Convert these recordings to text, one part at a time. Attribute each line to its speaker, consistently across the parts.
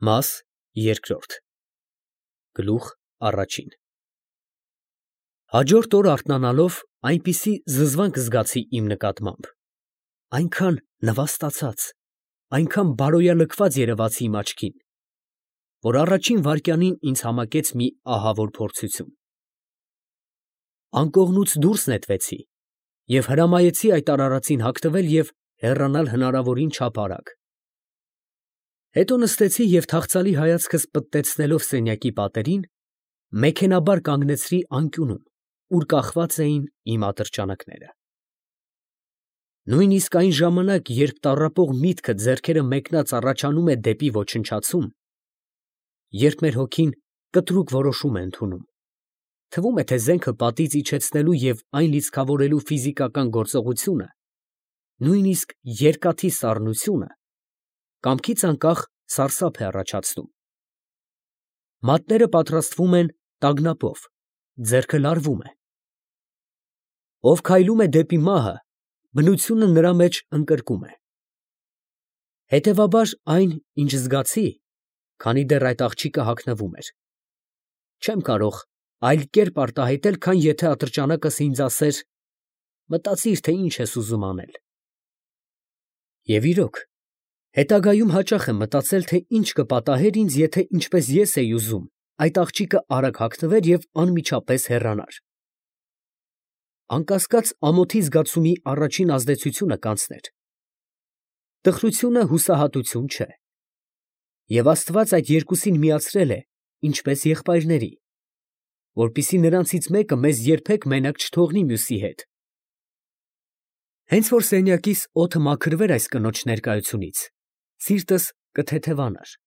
Speaker 1: Մաս երկրորդ Գլուխ առաջին Հաջորդ օր արթնանալով այնպիսի զզվանք զգացի իմ նկատմամբ, այնքան նվաստացած, այնքան բարոյալքված երևացի իմ աչքին, որ առաջին վայրկյանին ինձ համակեց մի ահավոր փորձություն։ Անկողնուց դուրս նետվեցի և հրամայեցի այդ արարածին հագնվել և հեռանալ հնարավորին չափ արագ։ Հետո նստեցի և թախծալի հայացքս պտտեցնելով սենյակի պատերին, մեքենաբար կանգնեցրի անկյունում, ուր կախված էին իմ ատրճանակները։ Նույնիսկ այն ժամանակ, երբ տառապող միտքը ձեռքերը մեկնած առաջանում է դեպի ոչնչացում, երբ մեր հոգին կտրուկ որոշում է ընդունում, թվում է, թե զենքը պատից իջեցնելու և այն լիցքավորելու ֆիզիկական գործողությունը, նույնիսկ երկաթի սառնությունը, կամքից անկախ սարսափ է առաջացնում։ Մատները պատրաստվում են տագնապով, ձեռքը լարվում է։ Ով քայլում է դեպի մահը, բնությունը նրա մեջ ընկրկում է։ Հետևաբար այն, ինչ զգացի, քանի դեռ այդ աղջիկը հագնվում էր, չեմ կարող այլ կերպ արտահայտել, քան եթե ատրճանակս ինձ ասեր. մտածիր, թե ինչ ես ուզում անել։ Եվ իրոք, հետագայում հաճախ եմ մտածել, թե ինչ կպատահեր ինձ, եթե ինչպես ես էի ուզում, այդ աղջիկը արագ հագնվեր և անմիջապես հեռանար։ Անկասկած, ամոթի զգացումի առաջին ազդեցությունը կանցներ։ Տխրությունը հուսահատություն չէ։ Եվ Աստված այդ երկուսին միացրել է, ինչպես եղբայրների, որպեսզի նրանցից մեկը մեզ երբեք մենակ չթողնի մյուսի հետ։ Հենց որ սենյակիս օդը մաքրվեր այս կնոջ ներկայությունից, սիրտս կթեթևանար։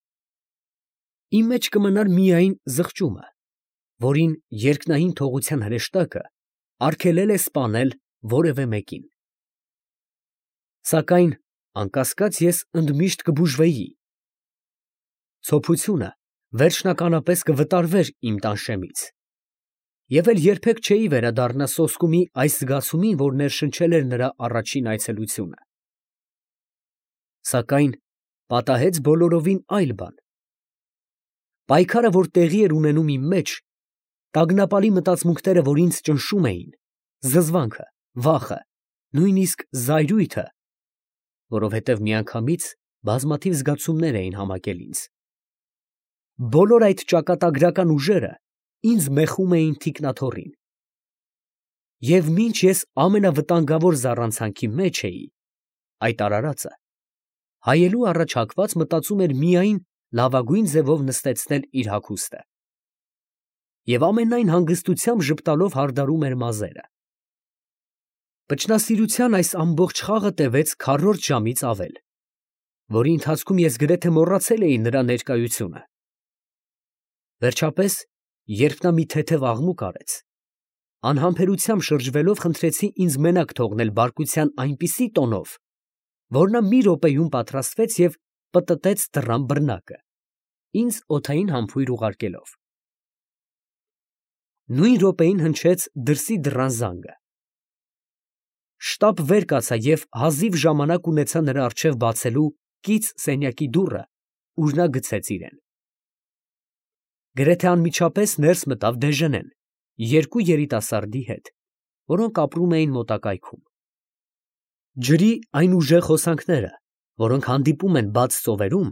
Speaker 1: Իմ մեջ կմնար միայն զղջումը, որին երկնային թողության հրեշտակը արգելել է սպանել որևէ մեկին։ Սակայն, անկասկած, ես ընդմիշտ կբուժվեի։ Ցոփությունը վերջնականապես կվտարվեր իմ տանշեմից, և էլ երբեք չէի վերադառնա սոսկումի այս զգացումին, որ ներշնչել էր նրա առաջին այցելությունը։ Սակայն պատահեց բոլորովին այլ բան։ Պայքարը, որ տեղի էր ունենում իմ մեջ, տագնապալի մտածմունքները, որ ինձ ճնշում էին, զզվանքը, վախը, նույնիսկ զայրույթը, որովհետև միանգամից բազմաթիվ զգացումներ էին համակել ինձ, բոլոր այդ ճակատագրական ուժերը ինձ մեխում էին թիկնաթոռին։ Եվ մինչ ես ամենավտանգավոր զառանցանքի մեջ էի, այդ արարածը, հայելու առաջ հագված, մտածում էր միայն լավագույն ձևով նստեցնել իր հագուստը և ամենայն հանգստությամբ ժպտալով հարդարում էր մազերը։ Վճռասիրության այս ամբողջ խաղը տևեց քառորդ ժամից ավել, որի ընթացքում ես գրեթե մոռացել էի նրա ներկայությունը։ Վերջապես, երբ նա մի թեթև աղմուկ արեց, անհամբերությամբ շրջվելով, խնդրեցի ինձ մենակ թողնել բարկության այնպիսի տոնով, որ նա մի րոպեում պատրաստվեց և պտտեց դռան բռնակը, ինձ օդային համբույր ուղարկելով։ Նույն րոպեին հնչեց դրսի դռան զանգը։ Շտապ վեր կացա և հազիվ ժամանակ ունեցա նրա առջև բացելու կից սենյակի դուռը, ուր նա գցեց իրեն։ Գրեթե անմիջապես ներս մտավ Դեժենեն երկու երիտասարդի հետ, որոնք ապրում էին մոտակայքում։ Ջրի այն ուժեղ հոսանքները, որոնք հանդիպում են բաց ծովերում,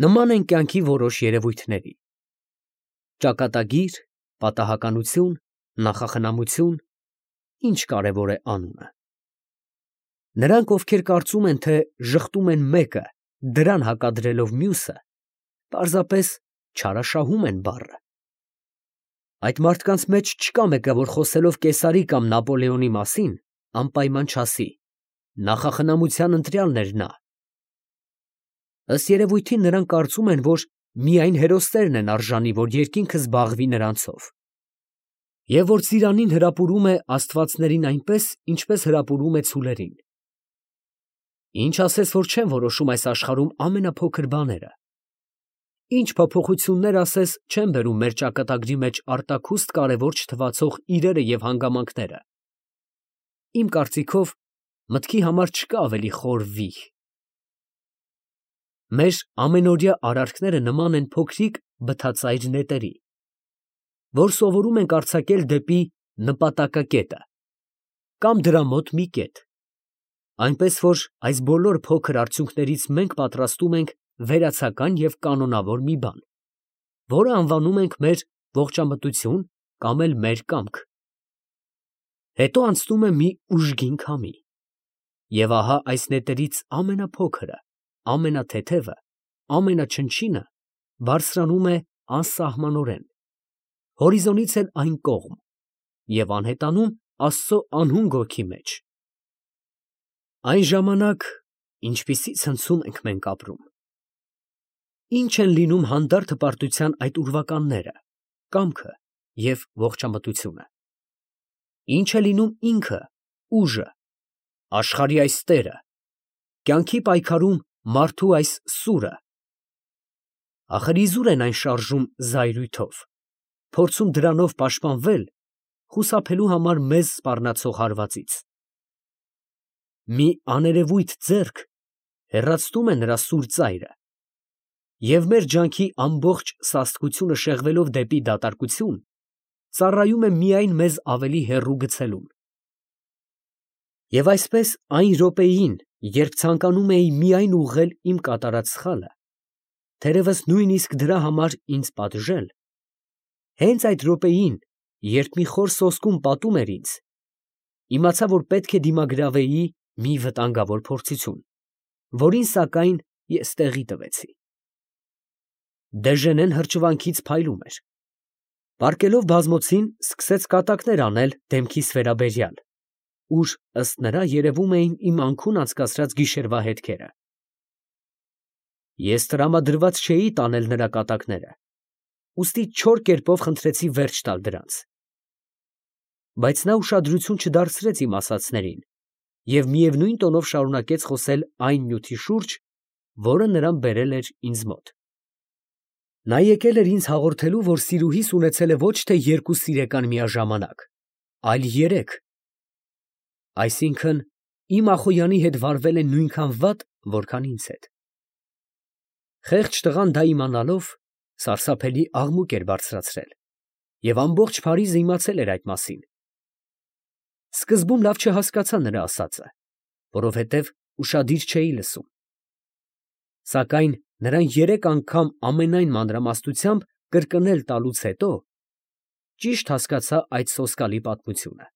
Speaker 1: նման են կյանքի որոշ երևույթների. ճակատագիր, պատահականություն, նախախնամություն, ինչ կարևոր է անունը։ Նրանք, ովքեր կարծում են, թե ժխտում են մեկը, դրան հակադրելով մյուսը, պարզապես չարաշահում են բառը։ Այդ մարդկանց մեջ չկա մեկը, որ խոսելով Կեսարի կամ Նապոլեոնի մասին, անպայման չասի. նախախնամության ընտրյալն էր նա։ Ըստ երևույթին նրանք կարծում են, որ միայն հերոսներն են արժանի, որ երկինքը զբաղվի նրանցով, և որ ծիրանին հրապուրում է աստվածներին այնպես, ինչպես հրապուրում է ցուլերին։ Ինչ ասես, որ չեն որոշում այս աշխարհում ամենափոքր բաները։ Ինչ փոփոխություններ ասես չեն բերում մեր ճակատագրի մեջ արտաքուստ կարևոր չթվացող իրերը և հանգամանքները։ Իմ կարծիքով, մտքի համար չկա ավելի խոր վիհ։ Մեր ամենօրյա արարքները նման են փոքրիկ բթածայր նետերի, որ սովորում ենք արձակել դեպի նպատակակետը կամ դրա մոտ մի կետ, այնպես որ այս բոլոր փոքր արդյունքներից մենք պատրաստում ենք վերացական և կանոնավոր մի բան, որը անվանում ենք մեր ողջամտություն կամ էլ մեր կամք։ Հետո անցնում է մի ուժգին քամի, և ահա այս նետերից ամենափոքրը, ամենաթեթևը, ամենաչնչինը բարձրանում է անսահմանորեն, հորիզոնից էլ այն կողմ և անհետանում Աստծո անհուն գորքի մեջ։ Այն ժամանակ ինչպիսի ցնցում ենք մենք ապրում։ Ինչ են լինում հանդարտ հպարտության այդ ուրվականները, կամքը և ողջամտությունը։ Ինչ է լինում ինքը, ուժը, աշխարհի այս տերը, կյանքի պայքարում մարդու այս սուրը։ Ախր իզուր են այն շարժում զայրույթով, փորձում դրանով պաշտպանվել, խուսափելու համար մեզ սպառնացող հարվածից։ Մի աներևույթ ձեռք հեռացնում է նրա սուր ծայրը, և մեր ջանքի ամբողջ սաստկությունը շեղվելով դեպի դատարկություն, ծառայում է միայն մեզ ավելի հեռու գցելուն։ Եվ այսպես այն րոպեին, երբ ցանկանում էի միայն ուղղել իմ կատարած սխալը, թերևս նույնիսկ դրա համար ինձ պատժել, հենց այդ րոպեին, երբ մի խոր սոսկում պատում էր ինձ, իմացա, որ պետք է դիմագրավեի մի վտանգավոր փորձություն, որին սակայն ես տեղի տվեցի։ Դեժենեն հրճվանքից փայլում էր։ Պառկելով բազմոցին, սկսեց կատակներ անել դեմքիս վերաբերյալ, ուր, ըստ նրա, երևում էին իմ անքուն անցկացրած գիշերվա հետքերը։ Ես տրամադրված չէի տանել նրա կատակները, ուստի չոր կերպով խնդրեցի վերջ տալ դրանց։ Բայց նա ուշադրություն չդարձրեց իմ ասածներին և միևնույն տոնով շարունակեց խոսել այն նյութի շուրջ, որը նրան բերել էր ինձ մոտ։ Նա եկել էր ինձ հաղորդելու, որ սիրուհիս ունեցել է ոչ թե երկու սիրեկան միաժամանակ, այլ երեք, այսինքն իմ Ախոյանի հետ վարվել է նույնքան վատ, որքան ինձ հետ։ Խեղճ տղան դա իմանալով, սարսափելի աղմուկ էր բարձրացրել և ամբողջ Փարիզը իմացել էր այդ մասին։ Սկզբում լավ չհասկացա նրա ասածը, որովհետև ուշադիր չէի լսում։ Սակայն նրան երեք անգամ ամենայն մանրամասնությամբ կրկնել տալուց հետո ճիշտ հասկացա այդ սոսկալի պատմությունը։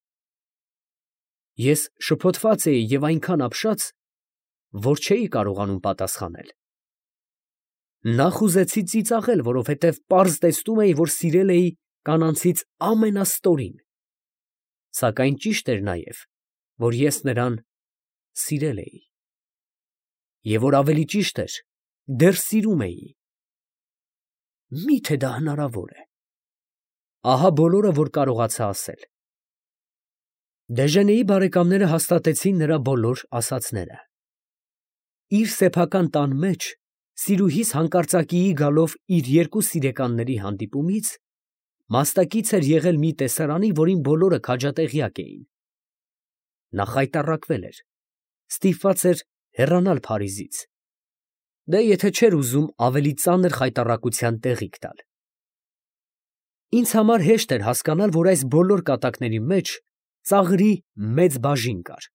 Speaker 1: Ես շփոթված էի և այնքան ապշած, որ չէի կարողանում պատասխանել։ Նախ ուզեցի ծիծաղել, որովհետև պարզ տեսնում էի, որ սիրել էի կանանցից ամենաստորին, սակայն ճիշտ էր նաև, որ ես նրան սիրել էի, և որ ավելի ճիշտ էր, դեռ սիրում էի։ Մի՞թե դա հնարավոր է։ Ահա բոլորը, որ կարողացա ասել։ Դեժենեի բարեկամները հաստատեցին նրա բոլոր ասածները։ Իր սեփական տան մեջ սիրուհիս հանկարծակիի գալով իր երկու սիրեկանների հանդիպումից մասնակից էր եղել մի տեսարանի, որին բոլորը քաջատեղյակ էին։ Նա խայտառակվել էր, ստիպված էր հեռանալ Փարիզից, դե եթե չէր ուզում ավելի ծանր խայտառակության տեղիք տալ։ Ինձ համար հեշտ էր հասկանալ, որ այս բոլոր կատակների մեջ ծաղրի մեծ բաժին կար,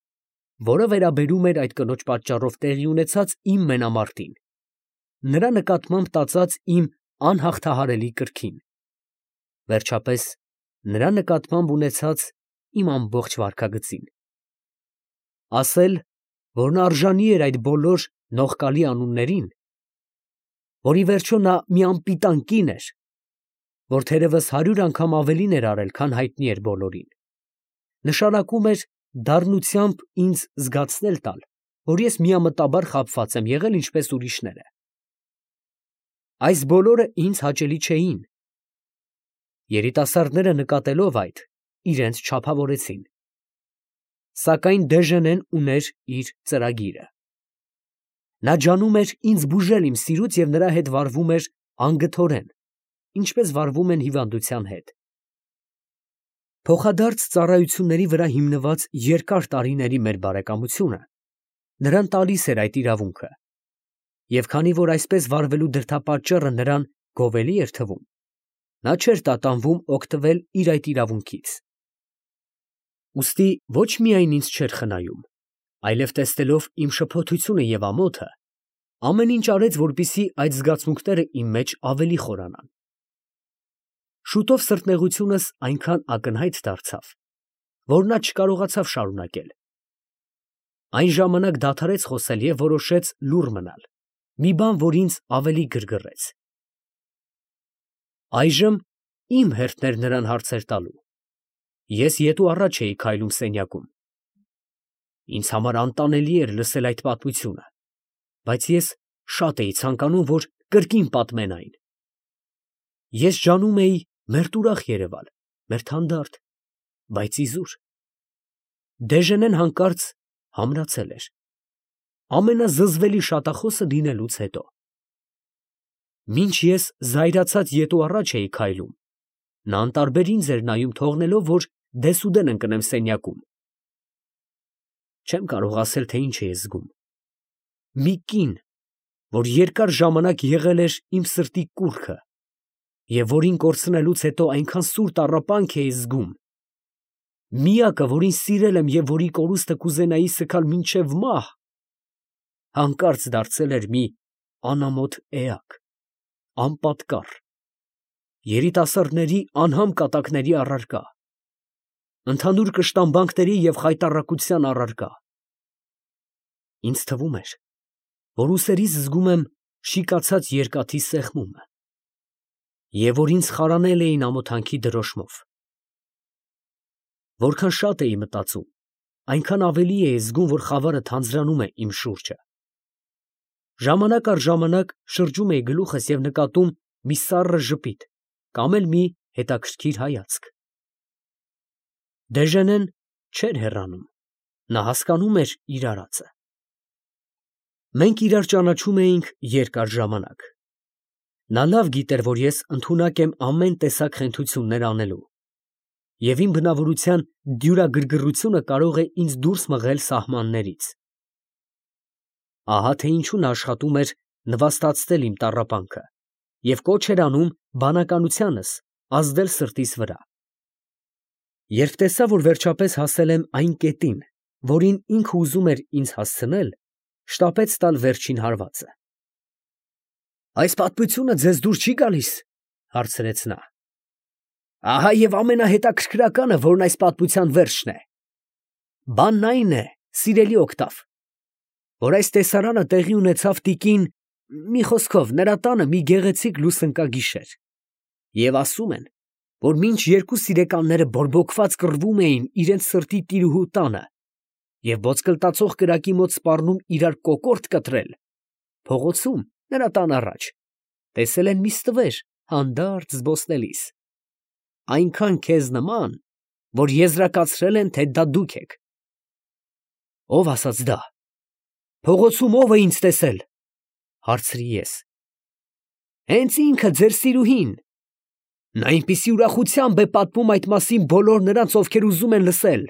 Speaker 1: որը վերաբերում էր այդ կնոջ պատճառով տեղի ունեցած իմ մենամարտին, նրա նկատմամբ տածած իմ անհաղթահարելի կրքին, վերջապես նրա նկատմամբ ունեցած իմ ամբողջ վարքագծին։ Ասել, որ նա արժանի էր այդ բոլոր նողկալի անուններին, որ ի վերջո նա մի անպիտան կին էր, որ թերևս 100 անգամ ավելին էր արել, քան հայտնի էր բոլորին, նշանակում էր դառնությամբ ինձ զգացնել տալ, որ ես միամտաբար խաբված եմ եղել ինչպես ուրիշները։ Այս բոլորը ինձ հաճելի չէին։ Երիտասարդները նկատելով այդ, իրենց չափավորեցին։ Սակայն Դեժենեն ուներ իր ծրագիրը։ Նա ջանում էր ինձ բուժել իմ սիրուց և նրա հետ վարվում էր անգթորեն, ինչպես վարվում են հիվանդության հետ։ Փոխադարձ ծառայությունների վրա հիմնված երկար տարիների մեր բարեկամությունը նրան տալիս էր այդ իրավունքը, Եվ քանի որ այսպես վարվելու դրդապատճառը նրան գովելի էր թվում, նա չէր տատանվում օգտվել իր այդ իրավունքից։ Ուստի ոչ միայն ինձ չէր խնայում, այլև տեսնելով իմ շփոթությունը և ամոթը, ամեն ինչ արեց, որպեսզի այդ զգացմունքները իմ մեջ ավելի խորանան։ Շուտով սրտնեղությունս այնքան ակնհայտ դարձավ, որ նա չկարողացավ շարունակել։ Այն ժամանակ դադարեց խոսել և որոշեց լուռ մնալ, մի բան, որ ինձ ավելի գրգռեց։ Այժմ իմ հերթն էր նրան հարցեր տալու։ Ես ետ ու առաջ էի քայլում սենյակում։ Ինձ համար անտանելի էր լսել այդ պատմությունը, բայց ես շատ էի ցանկանում, որ կրկին պատմեն այն։ Ես ջանում էի մերտուրախ երևալ, մերթանդարտ, բայց իզուր։ Դեժենեն հանկարծ համրացել էր, ամենազզվելի շատախոսը լինելուց հետո։ Մինչ ես զայրացած ետ ու առաջ էի քայլում, նա անտարբեր ինձ էր նայում, թողնելով, որ դեսուդեն ընկնեմ սենյակում։ Չեմ կարող ասել, թե ինչ էի զգում։ Մի կին, որ երկար ժամանակ եղել էր իմ սրտի կուռքը, և որին կորցնելուց հետո այնքան սուր տառապանք էի զգում, միակը, որին սիրել եմ և որի կորուստը կուզենայի սգալ մինչև մահ, հանկարծ դարձել էր մի անամոթ էակ, անպատկառ, երիտասարդների անհամ կատակների առարկա, ընդհանուր կշտամբանքների և խայտառակության առարկա։ Ինձ թվում էր, որ ուսերից զգում եմ շիկացած երկաթի սեղմումը, և որ ինձ խարանել էին ամոթանքի դրոշմով։ Որքան շատ էի մտածում, այնքան ավելի էի զգում, որ խավարը թանձրանում է իմ շուրջը։ Ժամանակ առ ժամանակ շրջում էի գլուխս և նկատում մի սառը ժպիտ կամ էլ մի հետաքրքիր հայացք։ Դեժենեն չէր հեռանում, նա հասկանում էր իր արածը։ Մենք իրար ճանաչում էինք երկար ժամանակ։ Նա լավ գիտեր, որ ես ընդունակ եմ ամեն տեսակ խենթություններ անելու, և իմ բնավորության դյուրագրգռությունը կարող է ինձ դուրս մղել սահմաններից։ Ահա թե ինչու նա աշխատում էր նվաստացնել իմ տառապանքը և կոչ էր անում բանականությանս ազդել սրտիս վրա։ Երբ տեսավ, որ վերջապես հասել եմ այն կետին, որին ինքը ուզում էր ինձ հասցնել, շտապեց տալ վերջին հարվածը։ «Այս պատմությունը ձեզ դուր չի գալիս» հարցրեց նա։ «Ահա և ամենահետաքրքրականը, որն այս պատմության վերջն է։ Բանն այն է, սիրելի Օգտավ, որ այս տեսարանը տեղի ունեցավ տիկին, մի խոսքով, նրա տանը մի գեղեցիկ լուսընկագիշեր, և ասում են, որ մինչ երկու սիրեկանները բորբոքված կռվում էին իրենց սրտի տիրուհու տանը և ոսկլտացող կրակի մոտ սպառնում իրար կոկորդ կտրել, փողոցում, նրա տան առաջ, տեսել են մի ստվեր հանդարտ զբոսնելիս, այնքան քեզ նման, որ եզրակացրել են, թե դա դուք եք։ ֊ Ո՞վ ասաց դա։ Փողոցում ո՞վ է ինձ տեսել, ֊ հարցրի ես։ ֊ Հենց ինքը, ձեր սիրուհին. նա այնպիսի ուրախությամբ է պատմում այդ մասին բոլոր նրանց, ովքեր ուզում են լսել,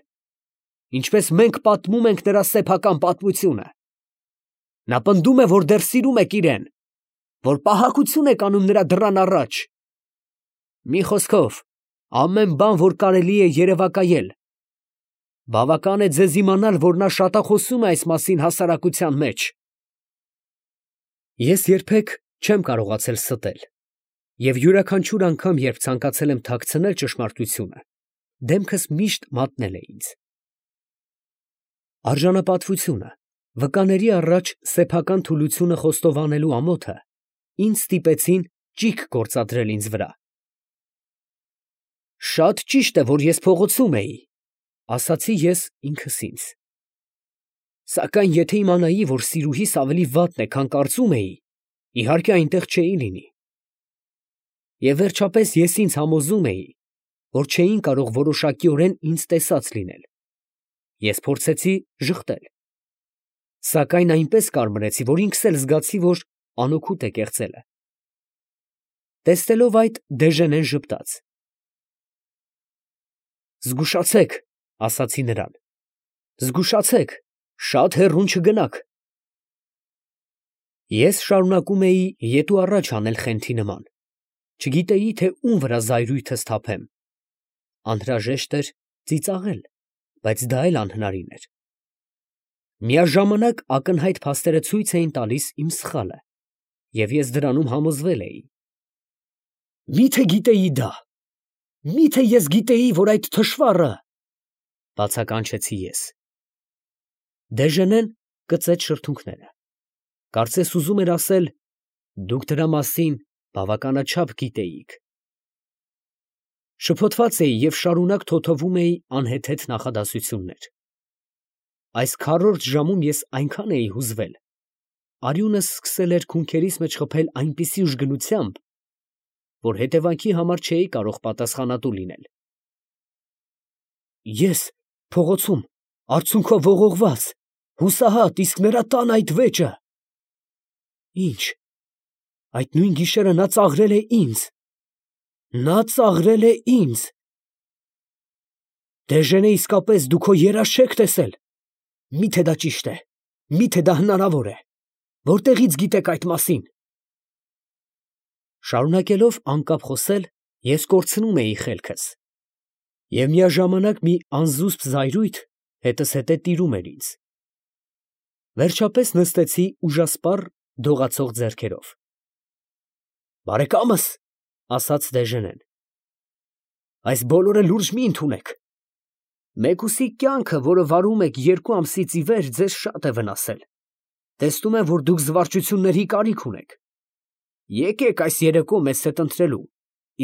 Speaker 1: ինչպես մենք պատմում ենք նրա սեփական պատմությունը։ Նա պնդում է, որ դեռ սիրում եք իրան, որ պահակություն եք անում նրա դռան առաջ։ Մի խոսքով, ամեն բան, որ կարելի է երևակայել։ Բավական է ձեզ իմանալ, որ նա շատախոսում է այս մասին հասարակության մեջ։ Ես երբեք չեմ կարողացել ստել, և յուրաքանչյուր անգամ, երբ ցանկացել եմ թաքցնել ճշմարտությունը, դեմքս միշտ մատնել է ինձ։ Արժանապատվությունը, վկաների առաջ սեփական թուլությունը խոստովանելու ամոթը ինձ ստիպեցին ճիգ գործադրել ինձ վրա։ Շատ ճիշտ է, որ ես փողոցում էի, ասացի ես ինքս ինձ։ Սակայն եթե իմանայի, որ սիրուհիս ավելի վատն է, քան կարծում էի, իհարկե այնտեղ չէի լինի։ Եվ վերջապես ես ինձ համոզում էի, որ չէին կարող որոշակիորեն ինձ տեսած լինել։ Ես փորձեցի ժխտել, սակայն այնպես կարմրեցի, որ ինքս էլ զգացի, որ անօգուտ է կեղծելը։ Տեսնելով այդ, Դեժենեն ժպտաց։ «Զգուշացեք, ֊ ասացի նրան, ֊ զգուշացեք, շատ հեռուն չգնաք»։ Ես շարունակում էի ետ ու առաջ անել խենթի նման, չգիտեի, թե ում վրա զայրույթս թափեմ. անհրաժեշտ էր ծիծաղել, բայց դա էլ անհնարին էր։ Միաժամանակ ակնհայտ փաստերը ցույց էին տալիս իմ սխալը, և ես դրանում համոզվել էի։ Մի՞թե գիտեի դա, մի՞թե ես գիտեի, որ այդ թշվառը… բացականչեցի ես։ Դեժենեն կծեց շրթունքները, կարծես ուզում էր ասել. դուք դրա մասին բավականաչափ գիտեիք։ Շփոթված էի և շարունակ թոթվում էի անհեթեթ նախադասություններ։ Այս քառորդ ժամում ես այնքան էի հուզվել, արյունս սկսել էր քունքերիս մեջ խփել այնպիսի ուժգնությամբ, որ հետևանքի համար չէի կարող պատասխանատու լինել։ Ես փողոցում, արցունքով ողողված, հուսահատ, իսկ նրա տան այդ վեճը… Ի՞նչ… այդ նույն գիշերը նա ծաղրել է ինձ… նա ծաղրել է ինձ… Դեժենե, իսկապես դու քո երազ չեք տեսել… Մի՞թե դա ճիշտ է… մի՞թե դա հնարավոր է… Որտեղի՞ց գիտեք այդ մասին… Շարունակելով անկապ խոսել, ես կորցնում էի խելքս, և միաժամանակ մի անզուսպ զայրույթ հետզհետե տիրում էր ինձ… Վերջապես նստեցի ուժասպառ, դողացող ձեռքերով։ Բարեկա՛մս, ֊ ասաց Դեժենեն, ֊ այս բոլորը լուրջ մի ընդունեք… Մեկուսի կյանքը, որը վարում եք 2 ամսից ի վեր, ձեզ շատ է վնասել… Տեսնում եմ, որ դուք զվարճությունների կարիք ունեք… Եկեք այս երեկո մեզ հետ ընթրելու,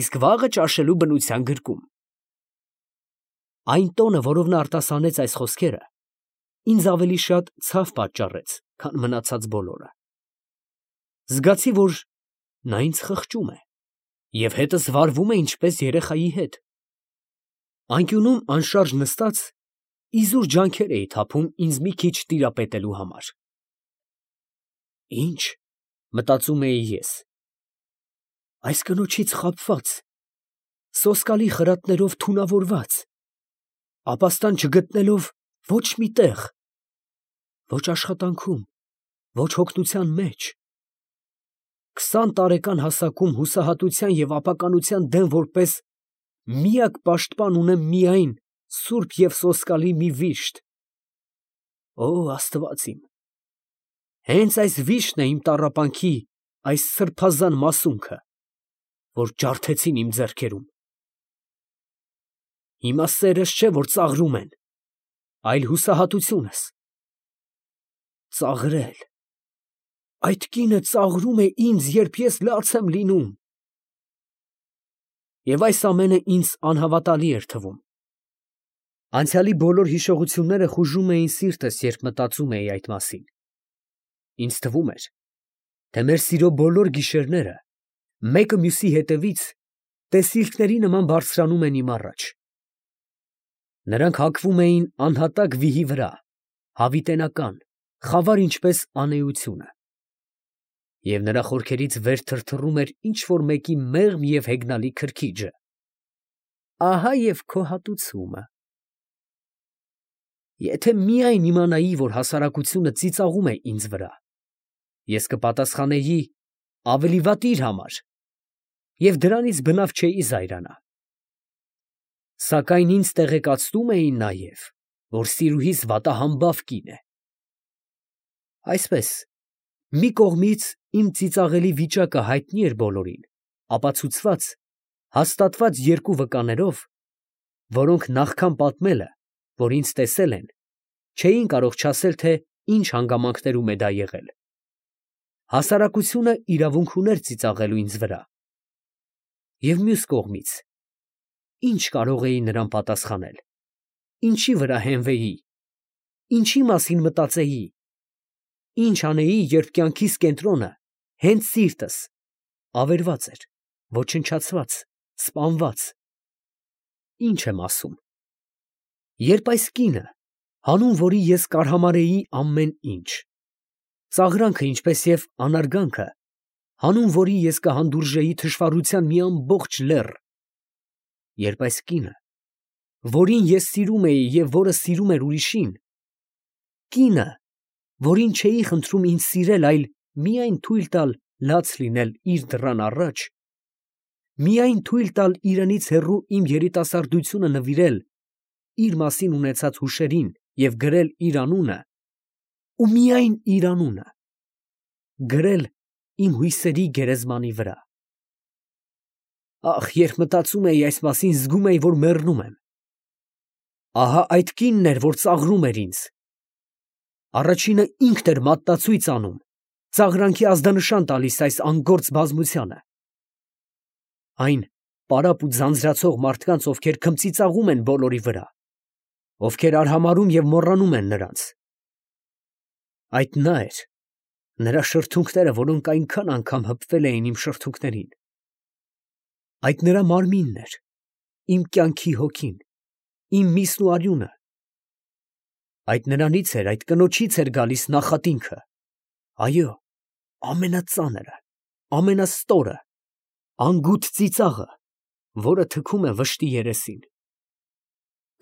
Speaker 1: իսկ վաղը ճաշելու բնության գրկում… Այն տոնը, որով նա արտասանեց այս խոսքերը, ինձ ավելի շատ ցավ պատճառեց, քան մնացած բոլորը… Զգացի, որ նա ինձ խղճում է և հետս վարվում է ինչպես երեխայի հետ… Անկյունում անշարժ նստած, իզուր ջանքեր էի թափում ինձ մի քիչ տիրապետելու համար… Ի՞նչ… մտածում էի ես… այս կնոջից խաբված, սոսկալի խրատներով թունավորված, ապաստան չգտնելով ոչ մի տեղ… ոչ աշխատանքում, ոչ հոգնության մեջ… 20 տարեկան հասակում հուսահատության և ապականության դեմ որպես միակ պաշտպան ունեմ միայն սուրբ և սոսկալի մի վիշտ… Օ աստված իմ… հենց այս վիշտն է իմ տառապանքի այս սրբազան մասունքը, որ ջարդեցին իմ ձեռքերում… Հիմա սերս չէ, որ ծաղրում են, այլ հուսահատությունս… Ծաղրել… այդ կինը ծաղրում է ինձ, երբ ես լաց եմ լինում… Եվ այս ամենը ինձ անհավատալի էր թվում… Անցյալի բոլոր հիշողությունները խուժում էին սիրտս, երբ մտածում էի այդ մասին… Ինձ թվում էր, թե մեր սիրո բոլոր գիշերները, մեկը մյուսի հետևից, տեսիլքների նման բարձրանում են իմ առաջ… Նրանք հագվում էին անհատակ վիհի վրա, հավիտենական, խավար ինչպես անէությունը… և նրա խորքերից վեր թրթռում էր ինչ֊որ մեկի մեղմ և հեգնալի քրքիջը… Ահա և քո հատուցումը… Եթե միայն իմանայի, որ հասարակությունը ծիծաղում է ինձ վրա, ես կպատասխանեի. ավելի վատ իր համար… և դրանից բնավ չէի զայրանա… Սակայն ինձ տեղեկացնում էին նաև, որ սիրուհիս վատահամբավ կին է… Այսպես, մի կողմից իմ ծիծաղելի վիճակը հայտնի էր բոլորին, ապացուցված, հաստատված 2 վկաներով, որոնք նախքան պատմելը, որ ինձ տեսել են, չէին կարող չասել, թե ինչ հանգամանքներում է դա եղել… Հասարակությունը իրավունք ուներ ծիծաղելու ինձ վրա… և մյուս կողմից, ի՞նչ կարող էի նրան պատասխանել… ինչի վրա հենվեի… ինչի մասին մտածեի… ինչ անեի, երբ կյանքիս կենտրոնը, հենց սիրտս, ավերված էր, ոչնչացված, սպանված… Ի՞նչ եմ ասում… Երբ այս կինը, հանուն որի ես կարհամարհեի ամեն ինչ… ծաղրանքը, ինչպես և անարգանքը, հանուն որի ես կհանդուրժեի թշվառության մի ամբողջ լեռ… Երբ այս կինը, որին ես սիրում էի և որը սիրում էր ուրիշին… կինը, որին չէի խնդրում ինձ սիրել, այլ միայն թույլ տալ լաց լինել իր դռան առաջ, միայն թույլ տալ իրենից հեռու իմ երիտասարդությունը նվիրել իր մասին ունեցած հուշերին և գրել իր անունը, ու միայն իր անունը, գրել իմ հույսերի գերեզմանի վրա։ Ախ, երբ մտածում էի այս մասին, զգում էի, որ մեռնում եմ։ Ահա այդ կինն էր, որ ծաղրում էր ինձ։ Առաջինը ինքն էր մատնացույց անում, ծաղրանքի ազդանշան տալիս այս անգործ բազմությանը։ Այն պարապ ու ձանձրացող մարդկանց, ովքեր քմծիծաղում են բոլորի վրա, ովքեր արհամարհում և մոռանում են նրանց։ Այդ նա էր, նրա շրթունքները, որոնք այնքան անգամ հպվել էին իմ շրթունքներին։ Այդ նրա մարմինն էր, իմ կյանքի հոգին, իմ միսն ու արյունը։ Այդ նրանից էր, այդ կնոջից էր գալիս նախատինքը, այո, ամենածանրը, ամենաստորը, անգութ ծիծաղը, որը թքում է վշտի երեսին։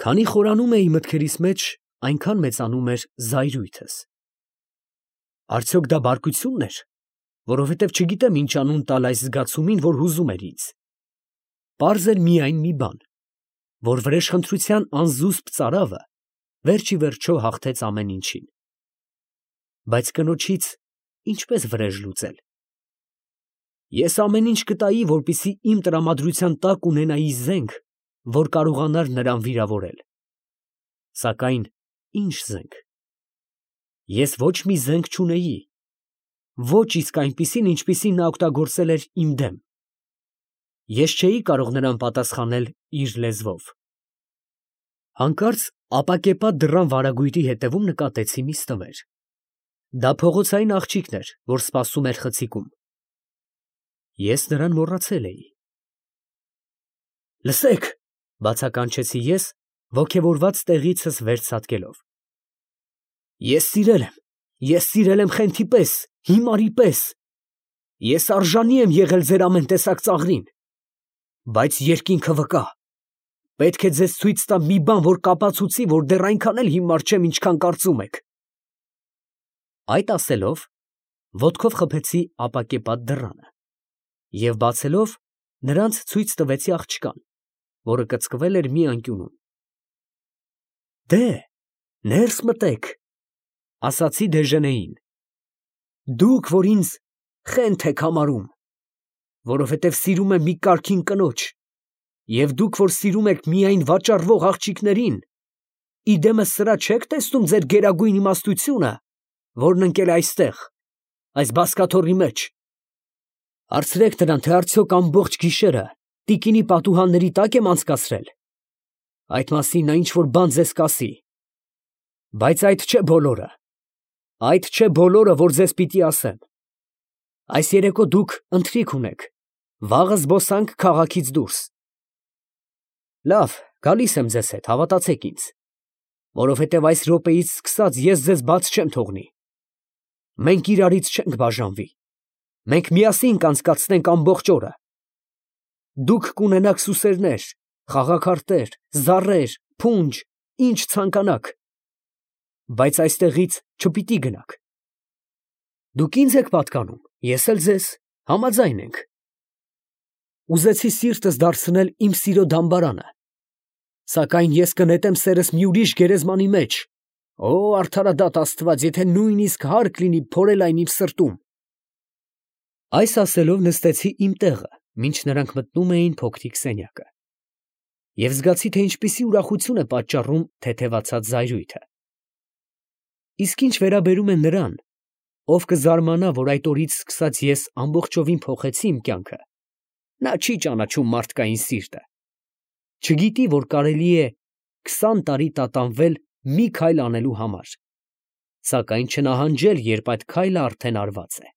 Speaker 1: Քանի խորանում էի մտքերիս մեջ, այնքան մեծանում էր զայրույթս։ Արդյոք դա բարկությունն էր, որովհետև չգիտեմ ինչ անուն տալ այս զգացումին, որ հուզում էր ինձ։ Պարզ էր միայն մի բան, որ վրեժխնդրության անզուսպ ծարավը վերջ ի վերջո հաղթեց ամեն ինչին։ Բայց կնոջից ինչպես վրեժ լուծել։ Ես ամեն ինչ կտայի, որպեսզի իմ տրամադրության տակ ունենայի զենք, որ կարողանար նրան վիրավորել։ Սակայն ի՞նչ զենք։ Ես ոչ մի զենք չունեի, ոչ իսկ այնպիսին, ինչպիսին նա օգտագործել էր իմ դեմ։ Ես չէի կարող նրան պատասխանել իր լեզվով։ Հանկարծ ապակեպատ դռան վարագույրի հետևում նկատեցի մի ստվեր։ Դա փողոցային աղջիկն էր, որ սպասում էր խցիկում։ Ես նրան մոռացել էի։ Լսեք, բացականչեցի ես, ոգևորված տեղիցս վեր ցատկելով։ Ես սիրել եմ խենթի պես, հիմարի պես։ Ես արժանի եմ եղել ձեր ամեն տեսակ ծաղրին։ Բայց երկինքը վկա, պետք է ձեզ ցույց տամ մի բան, որ կապացուցի, որ դեռ այնքան էլ հիմար չեմ, ինչքան կարծում եք։ Այդ ասելով, ոտքով խփեցի ապակեպատ դռանը և բացելով, նրանց ցույց տվեցի աղջկան, որը կծկվել էր մի անկյունում։ Դե, ներս մտեք, ասացի դեժենեին։ Դուք, որ ինձ խենթ եք համարում, որովհետև սիրում եմ մի կարգին կնոջ, և դուք, որ սիրում եք միայն վաճառվող աղջիկներին, իդեմս սրա չեք տեսնում ձեր գերագույն իմաստությունը, որն ընկել է այստեղ, այս բազկաթոռի մեջ։ Հարցրեք նրան, թե արդյոք ամբողջ գիշերը տիկինի պատուհանների տակ եմ անցկացրել։ Այդ մասին նա ինչ-որ բան ձեզ կասի։ Բայց այդ չէ բոլորը։ Այդ չէ բոլորը, որ ձեզ պիտի ասեմ։ Այս երեկո դուք ընթրիք ունեք, վաղը զբոսանք քաղաքից դուրս։ Լավ, գալիս եմ ձեզ հետ, հավատացեք ինձ, որովհետև այս րոպեից սկսած ես ձեզ բաց չեմ թողնի։ Մենք իրարից չենք բաժանվի։ Մենք միասին կանցկացնենք ամբողջ օրը։ Դուք կունենաք սուսերներ, խաղաքարտեր, զառեր, փունջ, ինչ ցանկանաք։ Բայց այստեղից չպիտի գնաք։ Դուք ինձ եք պատկանում, ես էլ ձեզ, համաձայն ենք։ Ուզեցի սիրտս դարձնել իմ սիրո դամբարանը, սակայն ես կնետեմ սերս մի ուրիշ գերեզմանի մեջ։ Օ, արդարադատ Աստված, եթե նույնիսկ հարկ լինի փորել այն իմ սրտում։ Այս ասելով նստեցի իմ տեղը, մինչ նրանք մտնում էին փոքրիկ սենյակը, և զգացի, թե ինչպիսի ուրախություն է պատճառում թեթևացած զայրույթը։ Իսկ ինչ վերաբերում է նրան, ով կզարմանա, որ այդ օրից սկսած ես ամբողջովին փոխեցի իմ կյանքը, նա չի ճանաչում մարդկային սիրտը, չգիտի, որ կարելի է 20 տարի տատանվել մի քայլ անելու համար, սակայն չնահանջել, երբ այդ քայլը արդեն արված է։